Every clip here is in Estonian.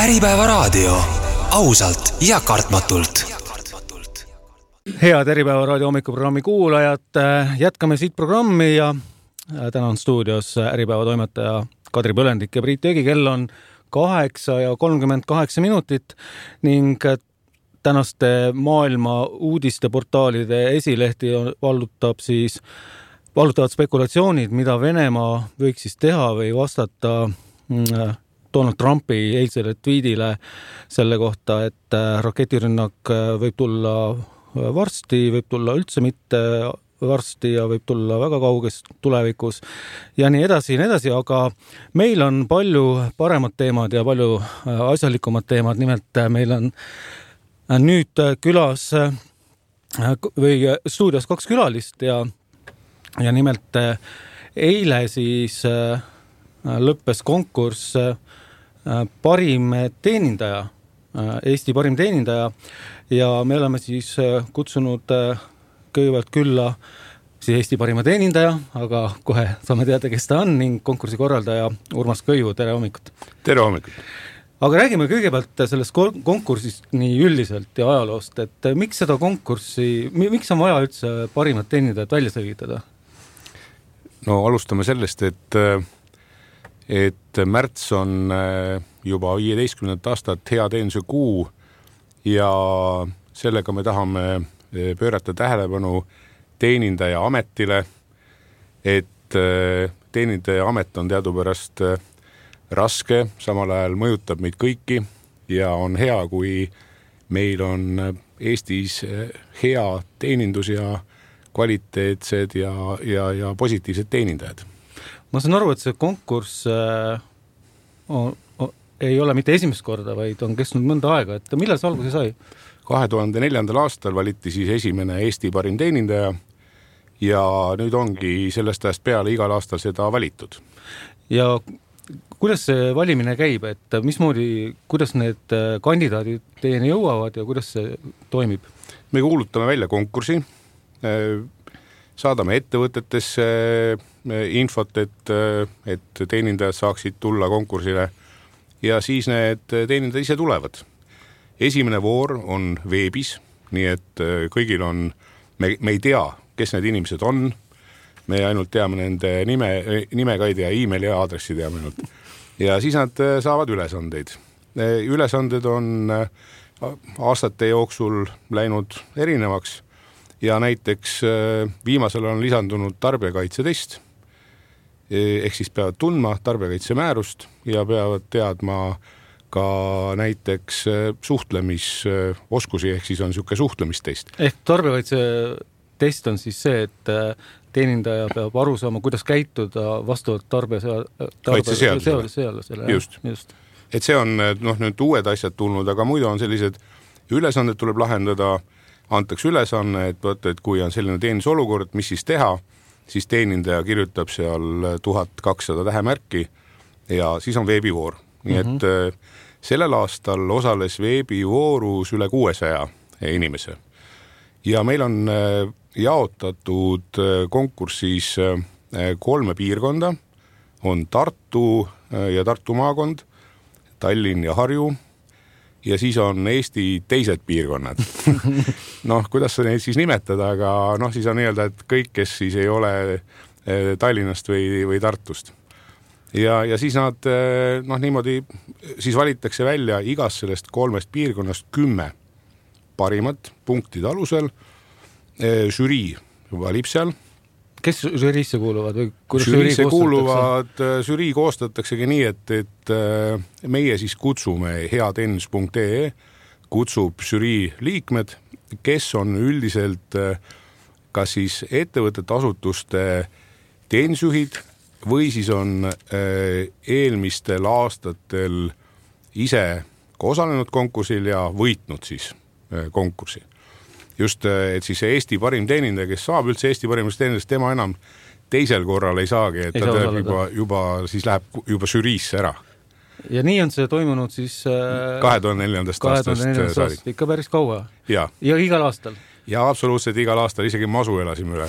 Äripäeva raadio. Ausalt ja kartmatult. Head Äripäeva raadio hommikuprogrammi kuulajad. Jätkame siit programmi ja täna on stuudios Äripäeva toimetaja Kadri Põlendik ja Priit Jõgi. Kell on 8:38 ning tänaste maailma uudisteportaalide esilehti vallutavad spekulatsioonid, mida Venemaa võiks siis teha või vastata Donald Trumpi eilsele tweedile selle kohta, et raketirünnak võib tulla varsti, võib tulla üldse mitte varsti ja võib tulla väga kauges tulevikus ja nii edasi, aga meil on palju paremad teemad ja palju asjalikumad teemad. Nimelt meil on nüüd külas või stuudios 2 külalist ja nimelt eile siis lõppes konkurss parim teenindaja, Eesti parim teenindaja ja me oleme siis kutsunud kõigepealt külla siis Eesti parima teenindaja, aga kohe saame teada, kes ta on ning konkursi korraldaja Urmas Kõivu. Tere hommikut! Tere hommikut! Aga räägime kõigepealt sellest konkursist nii üldiselt ja ajaloost, et miks seda konkurssi, miks on vaja üldse parimat teenindajat välja selgitada? No alustame sellest, et märts on juba 15. aastat hea teenuse kuu ja sellega me tahame pöörata tähelepanu teenindaja ametile, et teenindaja amet on teadupärast raske, samal ajal mõjutab meid kõiki ja on hea, kui meil on Eestis hea teenindus ja kvaliteetsed ja positiivsed teenindajad. Ma saan aru, et see konkurss ei ole mitte esimest korda, vaid on kestnud mõnda aega. Et millal see alguse sai? 2004. aastal valiti siis esimene Eesti parim teenindaja ja nüüd ongi sellest ajast peale igal aastal seda valitud. Ja kuidas see valimine käib, et kuidas need kandidaadid teieni jõuavad ja kuidas see toimib? Me kuulutame välja konkursi, saadame ettevõtetesse infot, et teenindajad saaksid tulla konkursile ja siis need teenindajad ise tulevad. Esimene voor on veebis, nii et kõigil on, me ei tea, kes need inimesed on, me ainult teame nende nimega ei tea, e-maili ja aadressi teame ainult. Ja siis nad saavad ülesandeid. Ülesanded on aastate jooksul läinud erinevaks ja näiteks viimasel on lisandunud tarbijakaitsetest, ehk siis peavad tundma tarbijakaitse määrust ja peavad teadma ka näiteks suhtlemisoskusi, ehk siis on niisugune suhtlemistest. Ehk tarbijakaitse test on siis see, et teenindaja peab aru saama, kuidas käituda vastavalt tarbijakaitseseadusele. Just. Et see on nüüd uued asjad tulnud, aga muidu on sellised ülesanded tuleb lahendada, antakse ülesanne, et kui on selline teenindusolukord, mis siis teha, siis teenindaja kirjutab seal 1200 tähemärki ja siis on veebivoor. Nii et sellel aastal osales veebivoorus üle 600 inimese. Ja meil on jaotatud konkursis 3 piirkonda, on Tartu ja Tartu maakond, Tallinn ja Harju ja siis on Eesti teised piirkonnad. Kuidas sa neid siis nimetada, aga siis on öelda, et kõik, kes siis ei ole Tallinnast või Tartust. Ja siis nad niimoodi siis valitakse välja igast sellest 3 piirkonnast 10 parimat punktide alusel. Žürii valib seal. Kes žüriisse kuuluvad? Žüriisse kuuluvad, žürii koostataksegi nii, et meie siis kutsume heateenindus.ee, kutsub žürii liikmed, kes on üldiselt kas siis ettevõtete asutuste teenisjuhid või siis on eelmistel aastatel ise osalenud konkursil ja võitnud siis konkursi. Just, et siis Eesti parim teenindaja, kes saab üldse Eesti parimast teenindajast, tema enam teisel korral ei saagi, et ta juba siis läheb juba žüriisse ära. Ja nii on see toimunud siis 2004. aastast ikka päris kaua. Ja igal aastal? Ja absoluutselt igal aastal, isegi masu elasime üle.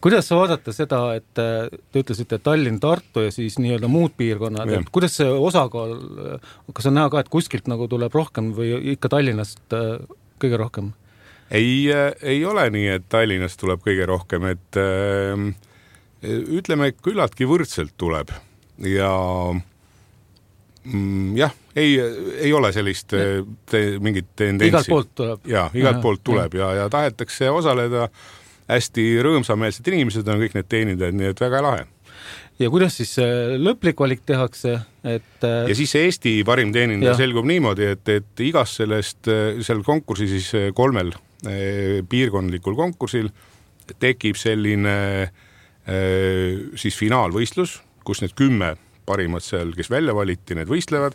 Kuidas sa vaadata seda, et te ütlesite Tallinn, Tartu ja siis nii-öelda muud piirkonnad, et kuidas see osakaal, kas on näha ka, et kuskilt nagu tuleb rohkem või ikka Tallinnast kõige rohkem? Ei ole nii, et Tallinnast tuleb kõige rohkem, et ütleme, küllaltki võrdselt tuleb ja jah, ei ole sellist mingit tendentsi. Igalt poolt tuleb. Ja, igalt poolt tuleb ja tahetakse osaleda. Hästi rõõmsameelsed inimesed on kõik need teenindajad, nii et väga lahe. Ja kuidas siis lõplik valik tehakse? Ja siis Eesti parim teenindaja selgub niimoodi, et igas seal konkursi siis 3 piirkondlikul konkursil tekib selline siis finaalvõistlus, kus need 10 parimad seal, kes välja valiti, need võistlevad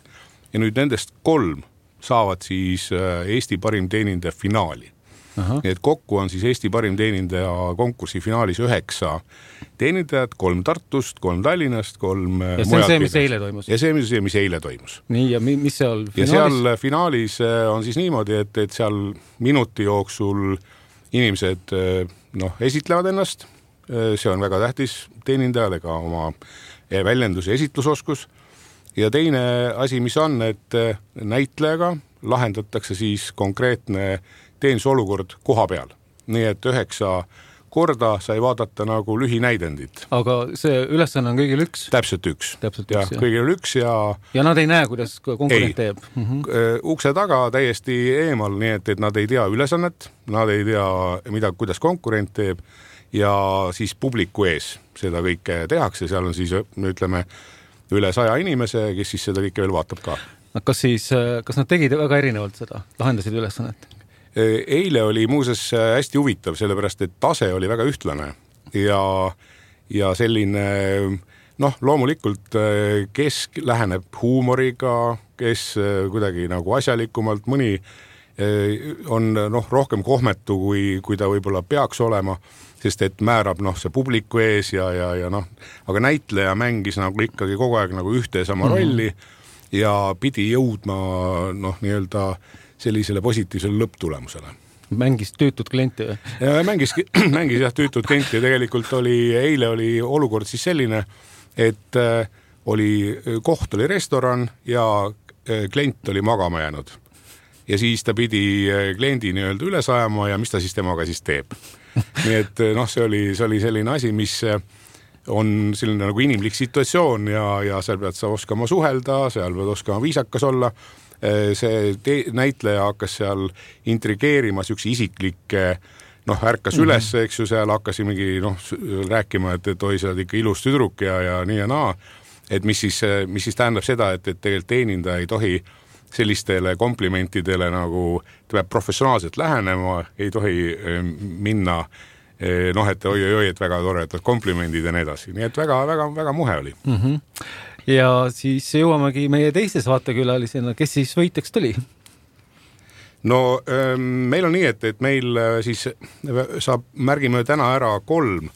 ja nüüd nendest 3 saavad siis Eesti parim teenindaja finaali. Nii et kokku on siis Eesti parim teenindaja konkursi finaalis 9 teenindajad, 3 Tartust, 3 Tallinnast, 3 ja see on see, mis eile toimus? Ja see on see, mis eile toimus. Nii, ja mis seal finaalis? Ja seal finaalis on siis niimoodi, et seal minuti jooksul inimesed esitlevad ennast. See on väga tähtis teenindajale ka oma väljendus- ja esitlusoskus. Ja teine asi, mis on, et näitlejaga lahendatakse siis konkreetne teenusolukord koha peal. Nii et 9 korda sai vaadata nagu lühinäidendit. Aga see ülesanne on kõigil 1? Täpselt 1. Ja kõigil 1 ja nad ei näe, kuidas konkurent teeb? Ukse taga täiesti eemal, nii et nad ei tea ülesannet, nad ei tea, kuidas konkurent teeb ja siis publiku ees seda kõike tehakse, seal on siis, ütleme, üle 100 inimese, kes siis seda kõike veel vaatab ka. Kas nad tegid väga erinevalt seda, lahendasid ülesannet? Eile oli muuses hästi huvitav, sellepärast, et tase oli väga ühtlane ja selline, loomulikult kes läheneb huumoriga, kes kuidagi nagu asjalikumalt, mõni on rohkem kohmetu, kui ta võib-olla peaks olema, sest et määrab see publiku ees ja aga näitleja mängis nagu ikkagi kogu aeg nagu ühte ja sama rolli ja pidi jõudma nii-öelda sellisele positiivsele lõpptulemusele. Mängis tüütud klienti või? Mängis tüütud klienti ja tegelikult eile oli olukord siis selline, et koht oli restoran ja klient oli magama jäänud. Ja siis ta pidi kliendi nii-öelda üle sajama ja mis ta siis temaga siis teeb. Nii et see oli selline asi, mis on selline nagu inimlik situatsioon ja seal pead sa oskama suhelda, seal pead oskama viisakas olla. See näitleja hakkas seal intrigeerima üks isiklikke, ärkas üles, eks ju, seal hakkas mingi rääkima, et oi, sa oled ikka ilus tüdruk ja nii ja naa. Et mis siis tähendab seda, et tegelikult teenindaja ei tohi sellistele komplimentidele nagu ta peab professionaalselt lähenema, ei tohi minna, et oi, et väga toredad komplimendid ja nii edasi. Nii et väga muhe oli. Ja siis jõuamegi meie teises vaatekülalisena, kes siis võitjaks tuli? Meil on nii, et meil siis märgime täna ära 3.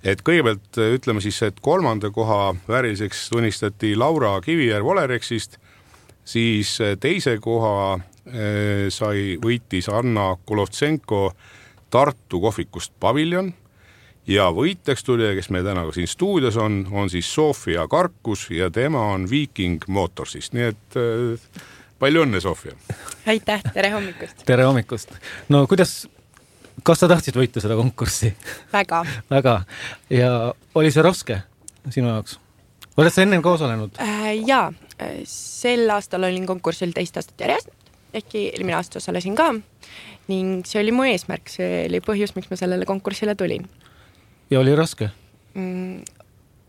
Et kõigepealt ütleme siis, et 3. koha vääriliseks tunnistati Laura Kivijärv Olerexist, siis teise koha võitis Anna Kolovtsenko Tartu kohvikust Paviljon ja võitjaks tuli, kes meil täna siin stuudios on siis Sofia Karkus ja tema on Viking Motorsist. Nii et palju õnne, Sofia! Aitäh, tere hommikust! Tere hommikust! No kas sa tahtsid võita seda konkurssi? Väga. Väga. Ja oli see raske sinu jaoks? Oled sa ennem ka osalenud? Jaa, sel aastal olin konkursil 2 aastat järjest, ehkki eelmine aasta osalesin ka ning see oli mu eesmärk, see oli põhjus, miks ma sellele konkursile tulin. Ja oli raske?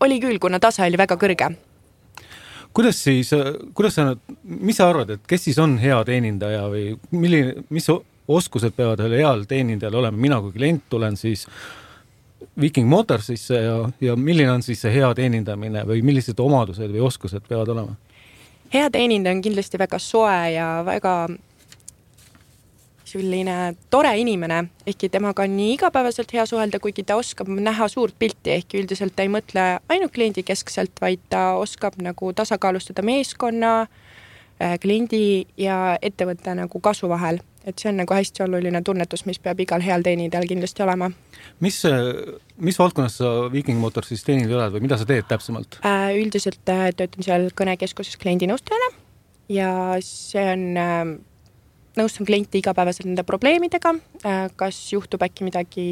Oli küll, kuna tase oli väga kõrge. Mis sa arvad, et kes siis on hea teenindaja või mis oskused peavad heal teenindajal olema? Mina kui klient tulen siis Viking Motorsisse ja milline on siis see hea teenindamine või millised omadused või oskused peavad olema? Hea teenindaja on kindlasti väga soe ja väga selline tore inimene, ehkki temaga on nii igapäevaselt hea suhelda, kuigi ta oskab näha suurt pilti, ehkki üldiselt ta ei mõtle ainult kliendi keskselt, vaid ta oskab nagu tasakaalustada meeskonna, kliendi ja ettevõtte nagu kasu vahel. et see on nagu hästi oluline tunnetus, mis peab igal heal teenindajal kindlasti olema. Mis valdkonnas sa Viking Motors siis teenindajal oled või mida sa teed täpsemalt? Üldiselt töötan seal kõnekeskuses kliendinõustajana ja see on, nõustan klienti igapäevaselt nende probleemidega, kas juhtub äkki midagi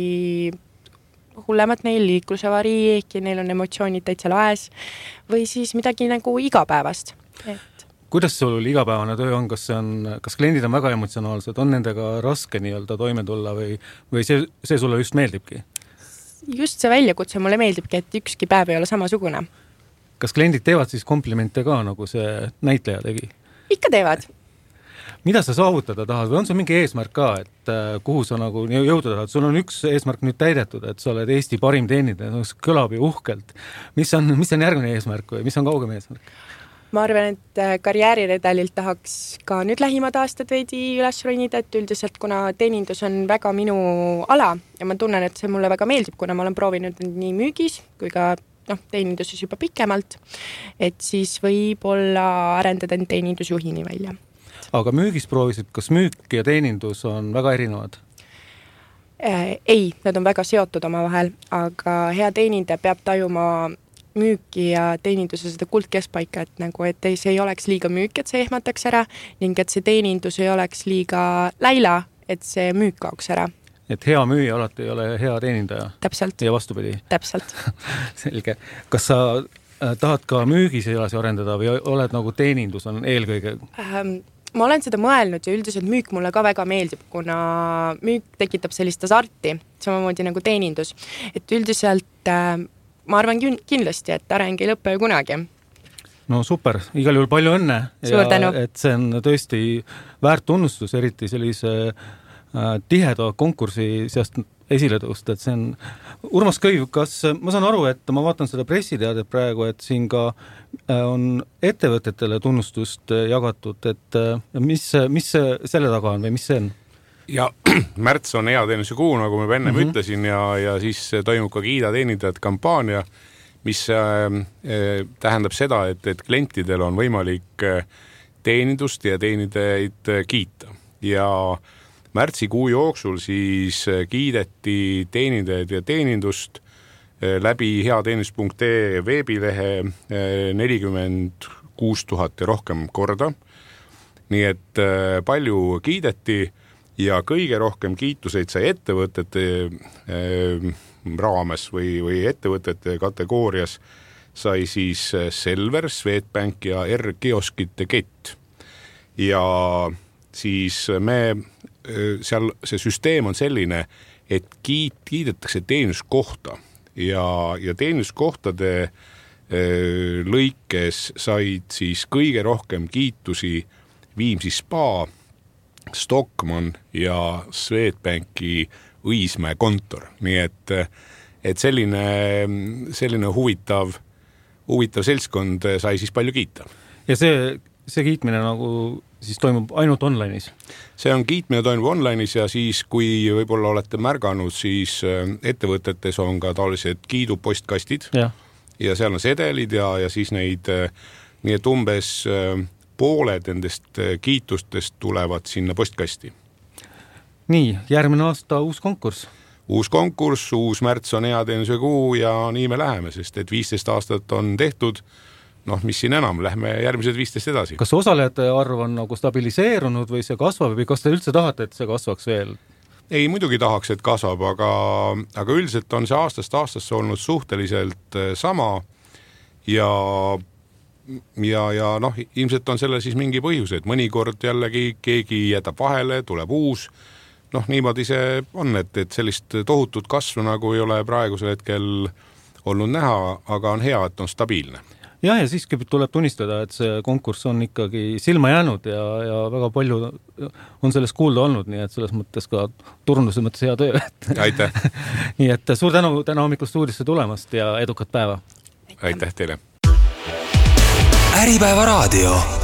hullemat neil, liiklusevarii, ehkki neil on emotsioonid täitsa laes või siis midagi nagu igapäevast. Kuidas sul igapäevane töö on? Kas kliendid on väga emotsionaalsed? On nendega raske nii-öelda toime tulla või see sulle just meeldibki? Just see väljakutse mulle meeldibki, et ükski päev ei ole samasugune. Kas kliendid teevad siis komplimente ka, nagu see näitleja tegi? Ikka teevad. Mida sa saavutada tahad või on sul mingi eesmärk ka, et kuhu sa nagu jõuda tahad? Sul on üks eesmärk nüüd täidetud, et sa oled Eesti parim teenindaja, kõlab ju uhkelt. Mis on järgmine eesmärk või mis on kaugem eesmärk? Ma arvan, et karjääriredalilt tahaks ka nüüd lähimad aastad veidi üles ronida, et üldiselt kuna teenindus on väga minu ala ja ma tunnen, et see mulle väga meeldib, kuna ma olen proovinud nii müügis kui ka teeninduses juba pikemalt, et siis võib-olla arendada teenindusjuhini välja. Aga müügis proovisid, kas müük ja teenindus on väga erinevad? Ei, nad on väga seotud oma vahel, aga hea teenindaja peab tajuma müüki ja teeninduse seda kuldkeskpaika, et see ei oleks liiga müük, et see ehmataks ära ning et see teenindus ei oleks liiga läila, et see müük kaoks ära. Et hea müüja alati ei ole hea teenindaja? Täpselt. Ja vastupidi? Täpselt. Selge. Kas sa tahad ka müügis edasi arendada või oled nagu teenindus on eelkõige? Ma olen seda mõelnud ja üldiselt müük mulle ka väga meeldib, kuna müük tekitab sellist asarti, samamoodi nagu teenindus. Et üldiselt ma arvan kindlasti, et areng ei lõppe ju kunagi. No super, igal juhul palju õnne. Suur tänu. Et see on tõesti väärt tunnustus, eriti sellise tiheda konkursi seast esile tõusta, et see on Urmas Köiv, kas ma saan aru, et ma vaatan seda pressiteadet praegu, et siin ka on ettevõtetele tunnustust jagatud, et mis selle taga on või mis see on? Ja märts on hea teenuse kuu, nagu ma enne ütlesin ja siis toimub ka Kiida teenindajad kampaania, mis tähendab seda, et klientidel on võimalik teenindust ja teenindajaid kiita. Ja märtsikuu jooksul siis kiideti teenindajaid ja teenindust läbi heateenindus.ee veebilehe 46 000 ja rohkem korda. Nii et palju kiideti ja kõige rohkem kiituseid sai ettevõtete raames või ettevõtete kategoorias sai siis Selver, Swedbank ja R-kioskite kett. Ja siis seal see süsteem on selline, et kiidetakse teenuskohta ja teenuskohtade lõikes said siis kõige rohkem kiitusi Viimsi Spa, Stockmann ja Swedbanki Õismäe kontor. Nii et selline huvitav seltskond sai siis palju kiita. Ja see kiitmine nagu siis toimub ainult online'is? See on kiitmine toimub online'is ja siis, kui võib-olla olete märganud, siis ettevõtetes on ka taolised kiidupostkastid ja seal on sedelid ja siis neid, nii et umbes pooled nendest kiitustest tulevad sinna postkasti. Nii, järgmine aasta uus konkurss. Uus konkurss, uus märts on hea teenuse kuu ja nii me läheme, sest et 15 aastat on tehtud. Mis siin enam, lähme järgmised 15 edasi. Kas osalejate arv on nagu stabiliseerunud või see kasvab või kas te üldse tahate, et see kasvaks veel? Ei, muidugi tahaks, et kasvab, aga üldiselt on see aastast aastasse olnud suhteliselt sama ja ilmselt on selle siis mingi põhjus, et mõnikord jällegi keegi jätab vahele, tuleb uus. Niimoodi see on, et sellist tohutut kasvu nagu ei ole praegusel hetkel olnud näha, aga on hea, et on stabiilne. Ja siiski tuleb tunnistada, et see konkurss on ikkagi silma jäänud ja väga palju on sellest kuulda olnud, nii et selles mõttes ka turnuse mõttes hea töö. Aitäh! Nii et suur tänu täna hommikul stuudisse tulemast ja edukat päeva! Aitäh teile! Äripäeva raadio.